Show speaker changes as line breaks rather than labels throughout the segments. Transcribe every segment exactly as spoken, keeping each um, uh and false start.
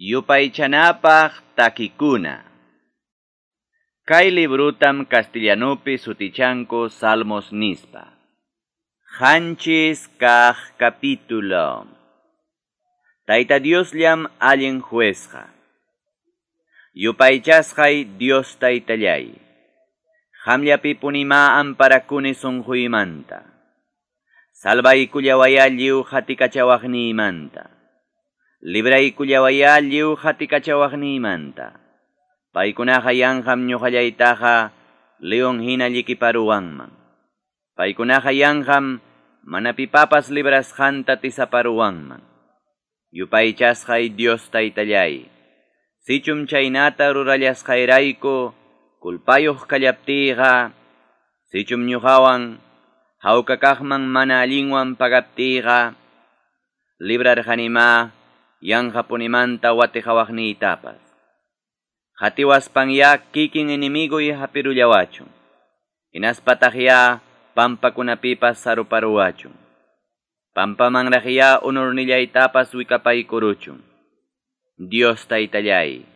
Yupaychanapaq takikuna. Kay librutam castellanupi sutichanku Salmos nispa. Qanchis kaq capítulo. Tayta Diosllam allin juezqa. Yupaychasqay Dios taytallay. Qamllapipunimá amparakuni sunquymanta. Salvaykullawayá lliw qatikachawaqniymanta. Libraykullawayá lliw qatikachawaqniymanta. Paykunaqa yanqam ñuqallaytaqa león hina llikiparuwanman. Paykunaqa yanqam mana pipapas librasqanta tisaparuwanman. Yupaychasqay Dios taytallay. Sichum chaynata rurallasqayrayku kulpayuq kallaptiyqa, sichum ñuqawan hawka kaqman mana allinwan pagaptiyqa, librarqanimá yanqapunimanta watiqawaqniytapas. Qatiwaspanyá kikin enemiguy hapirullawachun. Hinaspataqyá pampakunapipas saruparuwachun. Pampamanraqyá unurnillaytapas wikapaykuruchun. Dios taytallay,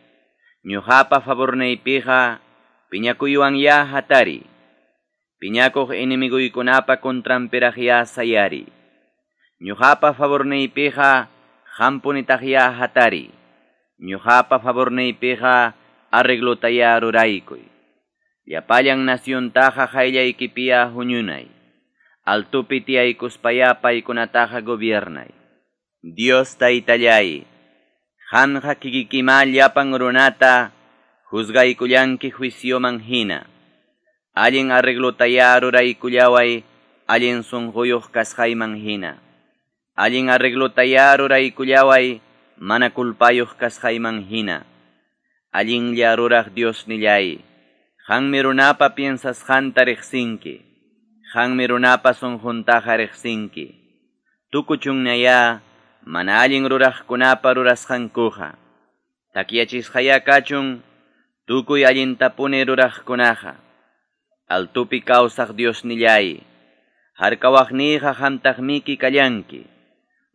ñuqapa favorniypiqa piñakuywanyá hatari. Piñakuq enemiguykunapa contranpiraqyá sayari. Ñuqapa favorniypiqa qampunitaqyá hatari. Ñuqapa favorniypiqa arreglotayá ruraykuy. Llapallan naciontaqa qayllaykipiyá huñunay. Altupi tiyaykuspayá paykunataqa gobiernay. Dios taytallay, qamqa kikikimá llapan runata juzgaykullanki juicioman hina. Allin arreglotayá ruraykullaway allin sunquyuq kasqayman hina. Allin arreglotayá ruraykullaway mana kulpayuq kasqayman hina. Allinlla ruraq Diosnillay, qanmi runapa piensasqanta riqsinki. Qanmi runapa sunquntaqa riqsinki. Tukuchunñayá mana allin ruraqkunapa rurasqankuqa. Takyachisqayá kachun tukuy allintapuni ruraqkunaqa. Altupi kawsaq Diosnillay, harkawaqniyqa qamtaqmiki kallanki.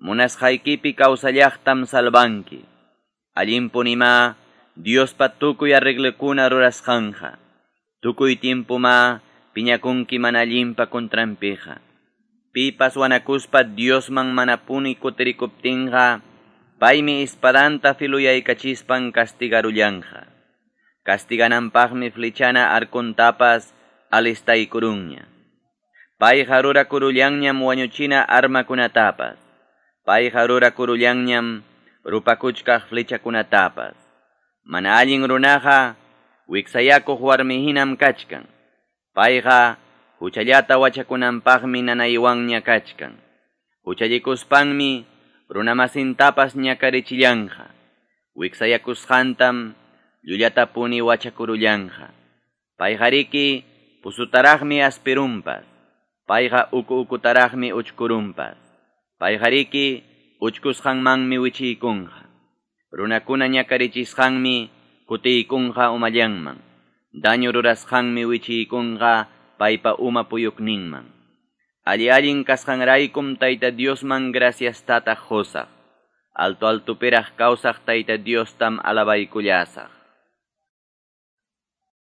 Munasqaykipi kawsallaqtam salvanki. Allinpunimá Diospa tukuy arreglokuna rurasqanqa. Tukuy tiempumá piñakunki mana allinpa contranpiqa. Pipas wanakuspa Diosman manapuni kutirikuptinqa, paymi espadanta filuyaykachispan castigarullanqa. Castigananpaqmi flechana arkuntapas alistaykurunña. Payqa rurakurullanñam wañuchina armakunatapas. Payqa rurakurullanñam rupakuchkaq flechakunatapas. Mana allin runaqa wiksayakuq warmi hinam kachkan. Payqa huchallata wachakunanpaqmi nanaywanña kachkan. Huchallikuspanmi runamasintapas ñakarichillanqa. Wiksayakusqantam llullatapuni wachakurullanqa. Payqariki pusutaraqmi aspirunpas. Payqa uku ukutaraqmi uchkurunpas. Payqariki uchkusqanmanmi wichiykunqa. Runakuna ñakarichisqanmi kutiykunqa umallanman. Daño rurasqanmi wichiykunqa paypa uma puyukninman. Alli allin kasqanraykum Tayta Diosman graciastata qusaq. Alto altupiraq kawsaq Tayta Diostam alabaykullasaq.